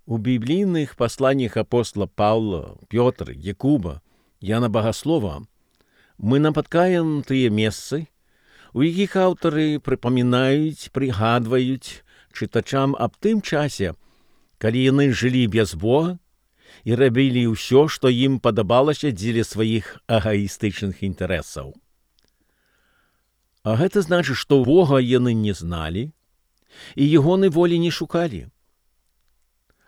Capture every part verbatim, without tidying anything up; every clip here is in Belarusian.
У біблійных пасланнях апостола Паўла, Пётра, Якуба, Яна Багаслова мы напаткаем тыя месцы, у якіх аўтары прыпамінаюць, прыгадваюць чытачам аб тым часе, калі яны жылі без Бога і рабілі ўсё, што ім падабалася дзеля сваіх эгаістычных інтарэсаў. А гэта значыць, што Бога яны не зналі і ягонай волі не шукалі.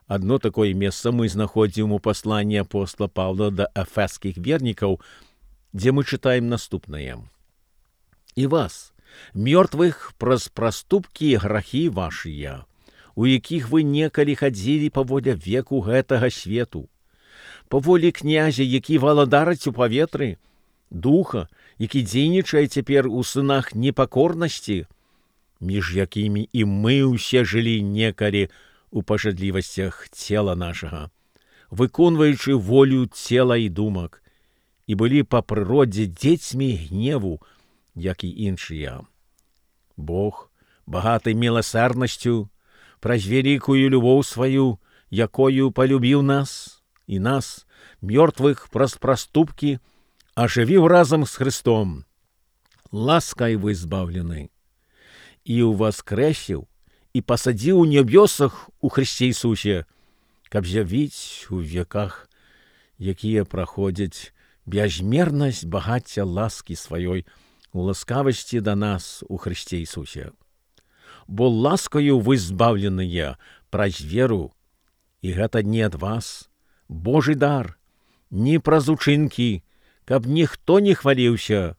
Адно такое месца мы знаходзім у пасланні апостола Паўла да эфескіх вернікаў, дзе мы чытаем наступнае. «І вас, мёртвых праз праступкі і грахі вашыя, у якіх вы некалі хадзілі паволя веку гэтага свету, паволі князя, які валадарыць у паветры, духа, які дзейнічае цяпер у сынах непакорнасці, між якімі і мы ўсе жылі некалі у пажадлівасцях цела нашага, выконваючы волю цела і думак, і былі па прыродзе дзецьмі гневу, як і іншыя. Бог, багаты міласэрнасцю, праз вялікую любоў сваю, якою палюбіў нас, і нас, мёртвых праз праступкі, ажывіў разам з Христом. Ласкай вы збаўлены, і ўваскрэсіў, і пасадзіў у нябёсах у Христе Ісусе, каб з'явіць у веках, якія праходзяць, бязмернасць багацця ласкі сваёй у ласкавасці да нас у Христе Ісусе. Бо ласкаю вы збаўленыя праз веру, і гэта не ад вас, Божы дар, не праз учынкі, каб ніхто не хваліўся,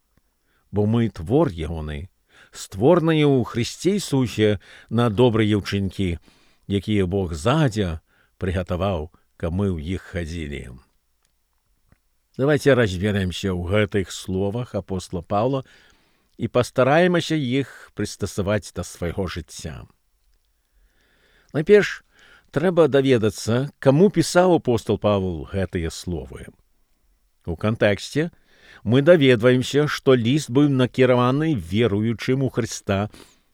бо мы твор ягоны, створаныя ў Христе Ісусе на добрыя ўчынкі, якія Бог задзя прыгатаваў, каб мы ў іх хадзілі». Давайте разберемся ў гэтых словах апостола Паўла і пастараемся іх прыстасаваць да свайго жыцця. Найперш, трэба даведацца, каму пісаў апостол Павел гэтыя словы. У кантэксце мы даведваемся, што ліст быў накіраваны веруючым у Хрыста,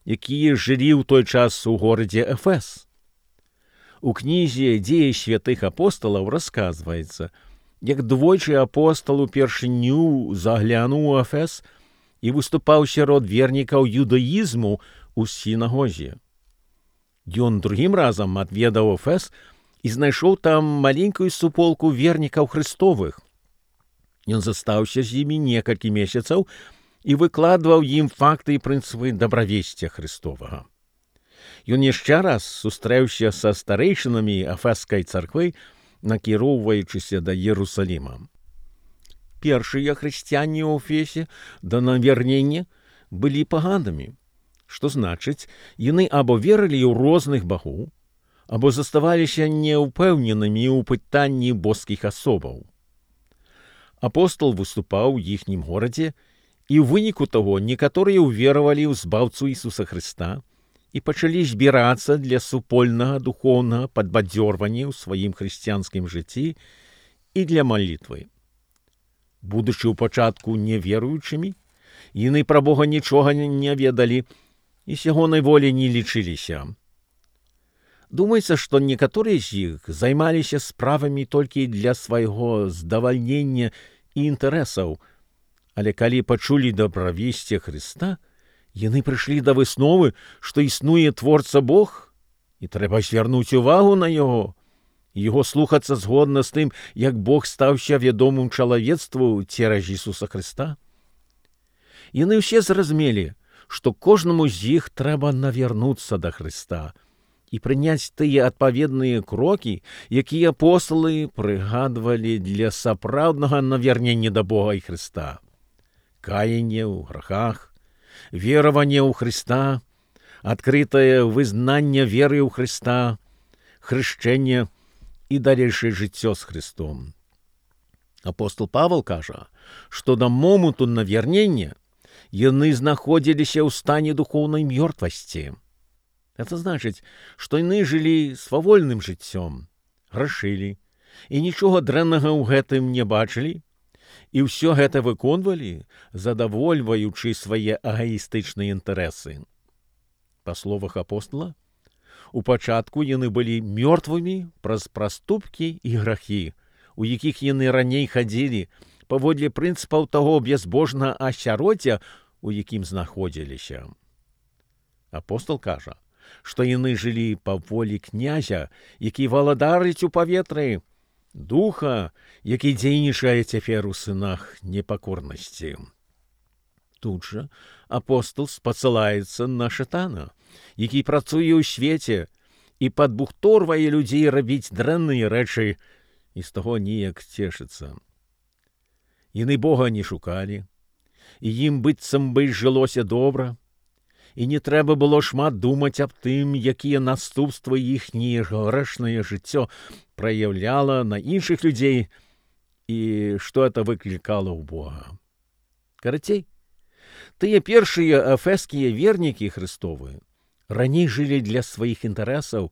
якія жылі ў той час у горадзе Эфес. У кнізе «Дзеі святых апосталаў» расказваецца, як двойчы апостал упершыню заглянуў у Эфес і выступаў сярод вернікаў юдаізму ў сінагозе. Ён другім разам адведаў Эфес і знайшоў там маленькую суполку вернікаў Христовых. Ён застаўся з імі некалькі месяцаў і выкладваў ім факты і прынцыпы дабравесця Христовага. Ён яшчэ раз сустрэўся са старэйшынамі Эфескай царквы, накіроўваючыся да Єрусаліма. Першыя хрысціяне ў Эфесе да навярнення былі паганамі, што значыць, яны або верылі ў розных багоў, або заставаліся неўпэўненымі ў пытанні боскіх асобаў. Апостол выступаў у іхнім горадзе, і ў выніку таго некаторыя ўверавалі ў збаўцу Ісуса Хрыста і пачалі збірацца для супольнага духоўнага падбадзёрвання ў сваім хрысціянскім жыцці і для малітвы. Будучы ў пачатку неверуючымі, яны пра Бога нічога не ведалі і сягонай волі не лічыліся. Думаецца, што некаторыя з іх займаліся справамі толькі для свайго здавальнення і інтарэсаў, але калі пачулі дабравесце Хрыста, яны прыйшлі да высновы, што існуе творца Бог, і трэба звярнуць увагу на яго, і яго слухацца згодна з тым, як Бог стаўся вядомым чалавецтву цераз Ісуса Хрыста. Яны ўсе зразумелі, што кожнаму з іх трэба навярнуцца да Хрыста і прыняць тыя адпаведныя крокі, якія апосталы прыгадвалі для сапраўднага навярнення да Бога і Хрыста. Каянне ў грахах, вераванне ў Хрыста, адкрытае вызнанне веры ў Хрыста, хрышчэнне і далейшае жыццё з Хрыстом. Апостол Павел кажа, што да моманту навярнення яны знаходзіліся ў стане духоўнай мёртвасці. Это значыць, што яны жылі свавольным жыццём, грашылі і нічога дрэннага ў гэтым не бачылі, і ўсё гэта выконвалі, задавольваючы свае эгаістычныя інтарэсы. Па словах апостола, У пачатку яны былі мёртвымі праз праступкі і грахі, у якіх яны раней хадзілі, паводле прынцыпаў таго бязбожнага асяроддзя, у якім знаходзіліся. Апостол кажа, што яны жылі па волі князя, які валадарыць у паветры, духа, які дзейнічае цяпер у сынах непакорнасці. Тут жа апостол спасылаецца на шатана, які працуе ў свеце і падбухторвае людзей рабіць дрэнныя рэчы і з таго ніяк цешыцца. Яны Бога не шукалі, і ім быццам бы жылося добра, і не трэба было шмат думаць аб тым, якія наступствы іхняе грэшнае жыццё праяўляла на іншых людзей і што это выклікала ў Бога. Карацей, тыя першыя эфескія вернікі Христовы раней жылі для сваіх інтарэсаў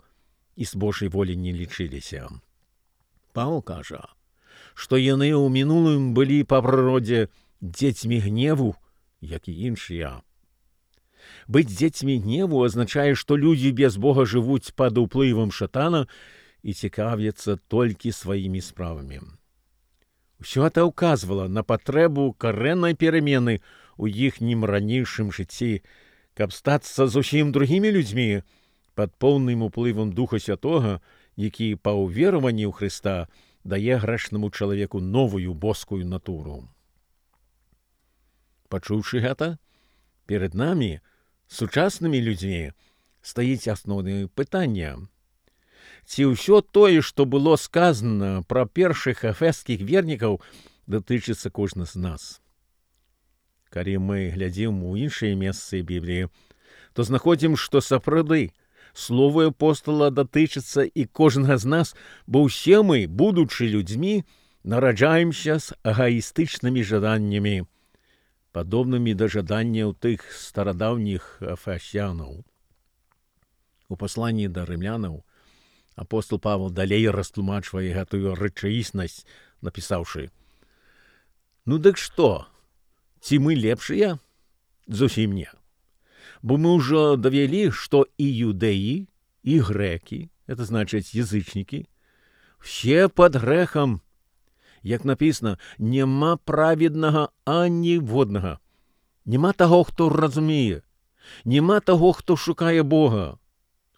і з Божай волі не лічыліся. Павел кажа, што яны ў мінулым былі па прыродзе дзецьмі гневу, як і іншыя. Быць дзецьмі гневу азначае, што людзі без Бога жывуць пад уплывам шатана і цікавяцца толькі сваімі справамі. Усё это ўказвала на патрэбу карэннай перамены ў іхнім ранейшым жыцці, каб стацца зусім другімі людзьмі пад поўным уплывам Духа Святога, які па ўвераванні ў Хрыста дае грэшнаму чалавеку новую боскую натуру. Пачуўшы гэта, перад намі, сучаснымі людзьмі, стаіць асноўнае пытанне. Ці ўсё тое, што было сказана пра першых эфескіх вернікаў, датычыцца кожны з нас? Калі мы глядзім у іншыя месцы Бібліі, то знаходзім, што сапраўды слово апостола датычыцца і кожнага з нас, бо ўсе мы, будучы людзьмі, нараджаемся з эгоістычнымі жаданнямі, падобнымі да жаданняў тых старадаўніх эфесянаў. У пасланні да рымлянаў апостол Павел далей растлумачвае гэтую рэчаіснасць, напісаўшы: «Ну дык што, ці мы лепшыя? Зусім не. Бо мы ўжо давялі, што і юдэі, і грэкі, это значыць язычнікі, все пад грэхам. Як напісана, няма праведнага аніводнага. Няма таго, хто разумее. Няма таго, хто шукае Бога.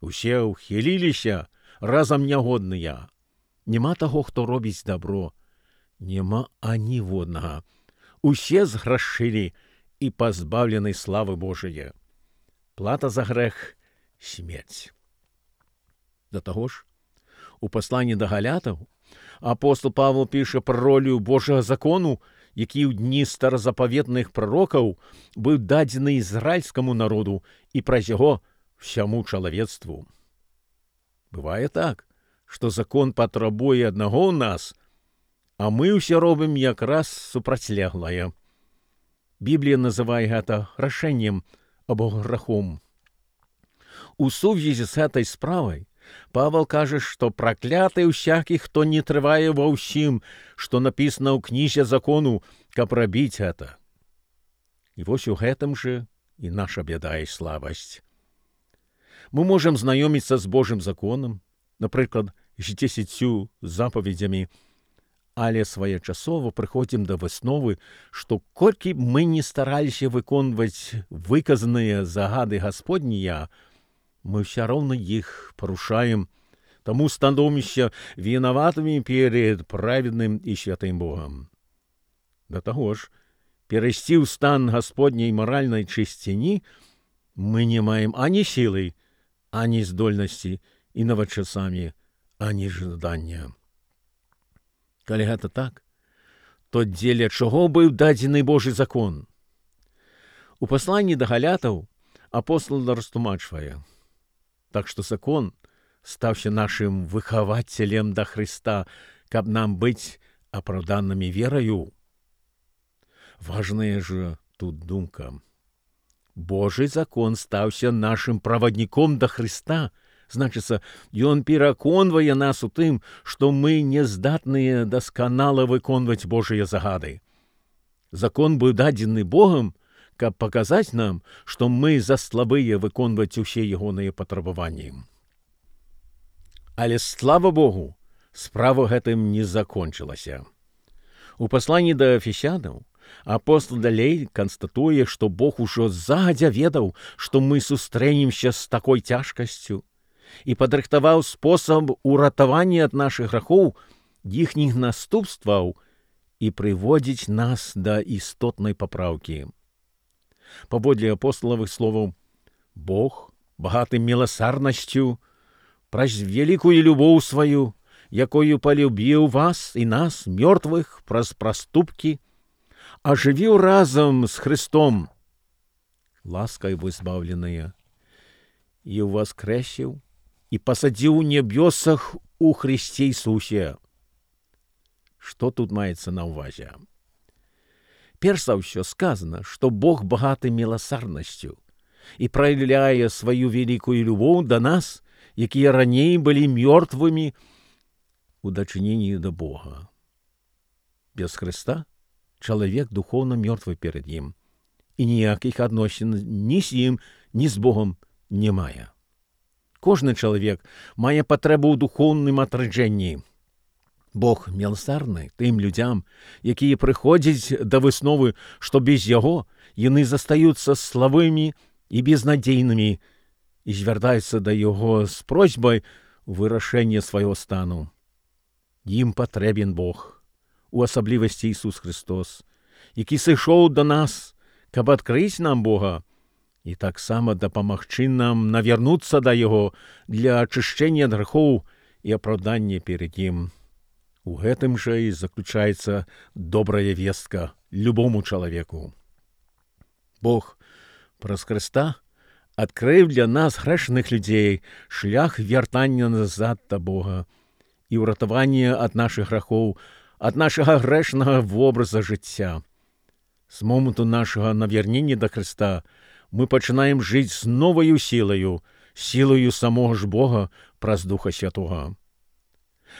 Усе ўхіліліся, разам нягодныя. Няма таго, хто робіць дабро. Няма аніводнага. Усе зграшылі і пазбаўлены славы Божае. Плата за грэх — смерць». Да таго ж, у пасланні да галятаў апостол Павел піша пра ролю Божага закону, які ў дні старазапаветных прарокаў быў дадзены ізраільскаму народу і праз яго всяму чалавецтву. Бывае так, што закон патрабуе аднаго ў нас, а мы ўсе робім якраз супрацьлеглае. Біблія называе гэта рашэннем або грахом. У сувязі з гэтай справай Павел кажа, што пракляты ўсякі, хто не трывае ва ўсім, што напісана ў кнізе закону, каб рабіць гэта. І вось у гэтым жа і наша бяда і слабасць. Мы можам знаёміцца з Божым законам, напрыклад, з дзесяццю запаведзямі, але своечасова прыходзім да высновы, што колькі б мы не стараліся выконваць выказаныя загады Гасподнія, мы ўсё роўна іх парушаем, таму становімся вінаватымі перед праведным і святым Богам. Да таго ж, перайсці ў стан Гасподняй маральнай чысціні мы не маем ані сілы, ані здольнасці і нават часамі, ані жадання. Калі гэта так, то дзеля чаго быў дадзены Божы закон? У пасланні да галятаў апостол растлумачвае: так што закон стаўся нашым выхавацелем да Хрыста, каб нам быць апраўданымі вераю. Важная ж тут думка. Божы закон стаўся нашым правадніком да Хрыста. Значыцца, ён пераконвае нас у тым, што мы не здатныя дасканала выконваць Божыя загады. Закон быў дадзены Богам, каб паказаць нам, што мы заслабыя выконваць усе ягоныя патрабаванні. Але, слава Богу, справа гэтым не закончылася. У пасланні да эфесянаў апостол далей канстатуе, што Бог ужо загадзя ведаў, што мы сустрэнемся з такой цяжкасцю, і падрыхтаваў спосаб уратавання ад нашых грахоў, іхніх наступстваў і прыводзіць нас да істотнай папраўкі. Паводле апосталавых словаў, Бог, багаты міласарнасцю, праз великую любоў сваю, якою полюбіў вас і нас, мёртвых, праз праступкі, оживіў разом с Христом, ласкай вызбавленыя, і воскресіў, і пасадзіў у небёсах у Христе Ісусе. Што тут маецца на ўвазе? Перш за ўсё сказано, што Бог багаты міласарнасцю і праяўляе сваю великую любоў да нас, якія раней былі мёртвымі у дачыненні да Бога. Без Христа чалавек духоўна мёртвы перад ім, і ніякіх адносін ні з ім, ні з Богом не мае. Кожны чалавек мае патрэбу ў духоўным атраджэнні. Бог міласарны тым людзям, якія прыходзяць да высновы, што без яго яны застаюцца слабымі і безнадзейнымі, і звяртаюцца да яго з просьбай вырашэння свайго стану. Ім патрэбен Бог, у асаблівасці Ісус Христос, які сышоў да нас, каб адкрыць нам Бога, і таксама дапамагчы нам навярнуцца да Яго для ачышчэння ад грахоў і апраўдання перад ім. У гэтым жа і заключаецца добрая вестка любому чалавеку. Бог праз Хрыста адкрыў для нас, грэшных людзей, шлях вяртання назад да Бога і ўратавання ад нашых грахоў, ад нашага грэшнага вобраза жыцця. З моманту нашага навярнення да Хрыста мы пачынаем жыць з новаю сілаю, сілаю самога ж Бога праз Духа Святога.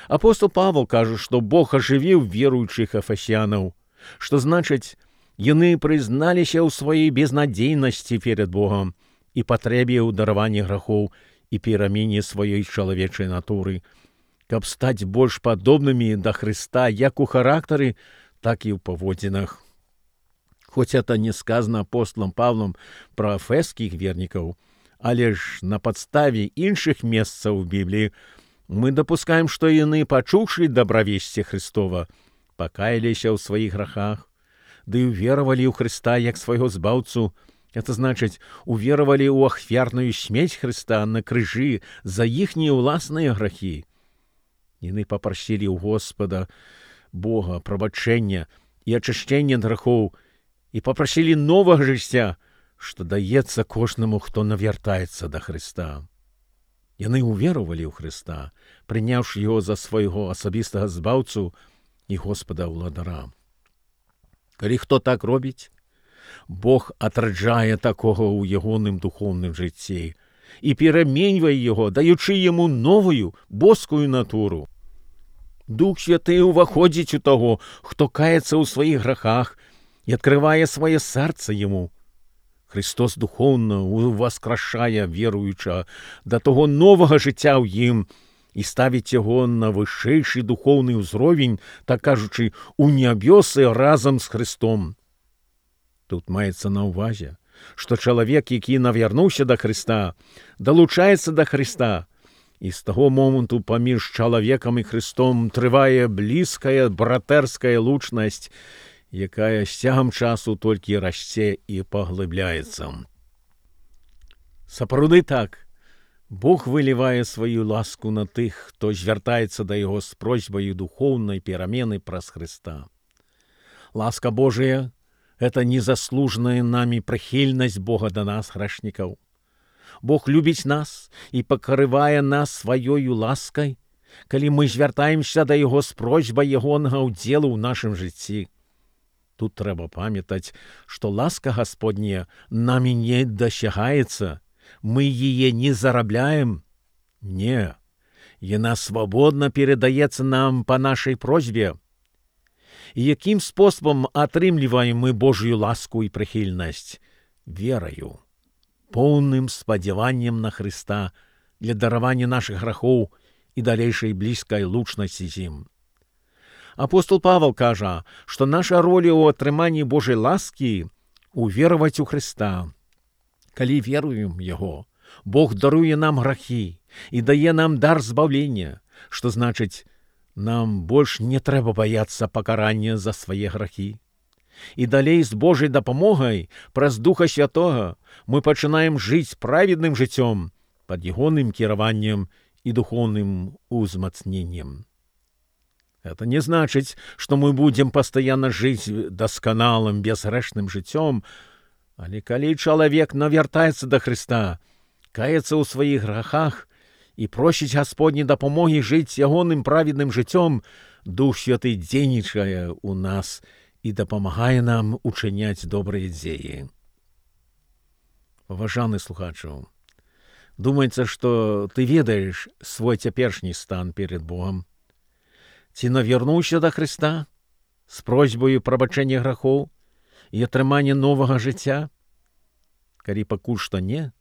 Апостол Павел кажа, што Бог ажывіў веруючых эфесянаў, што значыць, яны прызналіся ў сваёй безнадзейнасці перад Богом і патрэбе ў дараванні грахоў і перамене сваёй чалавечай натуры, каб стаць больш падобнымі да Хрыста як у характары, так і ў паводзінах. Хоць это не сказано апостолам Павлом пра эфескіх вернікаў, але ж на падставе іншых месцаў у Бібліі мы дапускаем, што яны, пачуўшы дабравесці Христова, пакаяліся ў сваіх грахах, ды уверавалі ў Христа як свайго збаўцу, это значыць, уверавалі ў ахвярную смерць Христа на крыжы за іхнія ўласныя грахі. Яны папрасілі ў Господа Бога прабачэння і ачышчэння ад грахоў і папрасілі новага жыцця, што даецца кожнаму, хто навяртаецца да Христа. Яны уверовали ў Христа, прыняўшы Яго за свайго асабістага збаўцу і Господа ўладара. Калі хто так робіць, Бог атраджае такога ў ягоным духоўным жыцці і пераменьвае яго, даючы яму новую, боскую натуру. Дух Святы ўваходзіць у таго, хто каецца ў сваіх грахах і адкрывае сваё сэрца яму. Христос духоўна уваскрашае веруючага да таго новага жыцця ў ім і ставіць яго на вышэйшы духоўны ўзровень, так кажучы, у нябёсы разам з Христом. Тут маецца на ўвазе, што чалавек, які навярнуўся да Христа, далучаецца да Христа, і з таго моманту паміж чалавекам і Христом трывае блізкая братэрская лучнасць, якая з цягам часу толькі расце і паглыбляецца. Сапраўды так, Бог вылівае сваю ласку на тых, хто звяртаецца да Яго з просьбаю духоўнай перамены праз Христа. Ласка Божая — гэта незаслужаная намі прыхільнасць Бога да нас, грэшнікаў. Бог любіць нас і пакрывае нас сваёю ласкай, калі мы звяртаемся да Яго з просьбай ягонага ўдзелу ў нашым жыцці. Тут трэба памятаць, што ласка Гасподняя намі не дасягаецца, мы яе не зарабляем. Не, яна свабодна перадаецца нам па нашай просьбе. І якім спосабам атрымліваем мы Божую ласку і прыхільнасць? Вераю, поўным спадзяваннем на Христа для даравання нашых грахоў і далейшай блізкай лучнасці з ім. Апостол Павел кажа, што наша роля ў атрыманні Божай ласкі увераваць у Хрыста. Калі веруем Яго, Бог даруе нам грахі і дае нам дар збаўлення, што значыць, нам больш не трэба баяцца пакарання за свае грахі. І далей з Божай дапамогай праз Духа Святога мы пачынаем жыць праведным жыццём пад ягоным кіраваннем і духоўным узмацненнем. Это не значыць, што мы будзем пастаянна жыць дасканалым, бязгрэшным жыццём, але калі чалавек навяртаецца да Хрыста, каецца ў сваіх грахах і просіць Гасподняй дапамогі жыць ягоным праведным жыццём, Дух Святы дзейнічае ў нас і дапамагае нам учыняць добрыя дзеі. Паважаны слухачу, думаецца, што ты ведаеш свой цяперашні стан перед Богом. Ці навярнуўся да Хрыста з просьбаю прабачэння грахоў і атрымання новага жыцця? Калі пакуль што не,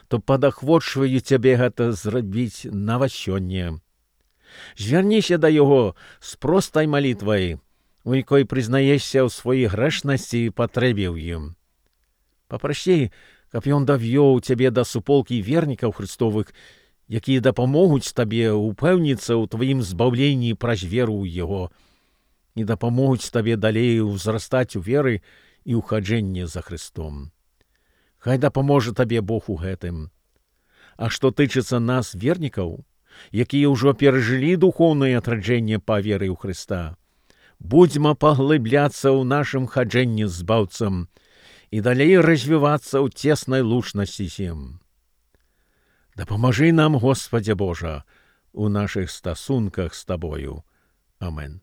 то падахвочваю цябе гэта зрабіць нават сёння. Звярніся да Яго з простай малітвай, у якой прызнаешся ў сваёй грэшнасці і патрэбе ў ім. Папрасі, каб Ён давёў цябе да суполкі вернікаў Христовых, якія дапамогуць табе упэўніцца ў тваім збаўленні праз веру ў Яго і дапамогуць табе далей узрастаць у веры і ў хаджэнні за Христом. Хай дапаможа табе Бог у гэтым. А што тычыцца нас, вернікаў, якія ўжо перажылі духоўнае адраджэнне па веры ў Хрыста, будзьма паглыбляцца ў нашым хаджэнні з Збаўцам і далей развівацца ў цеснай лучнасці з ім. Дапамажы нам, Господзе Божа, у нашых стасунках з Табою. Амен.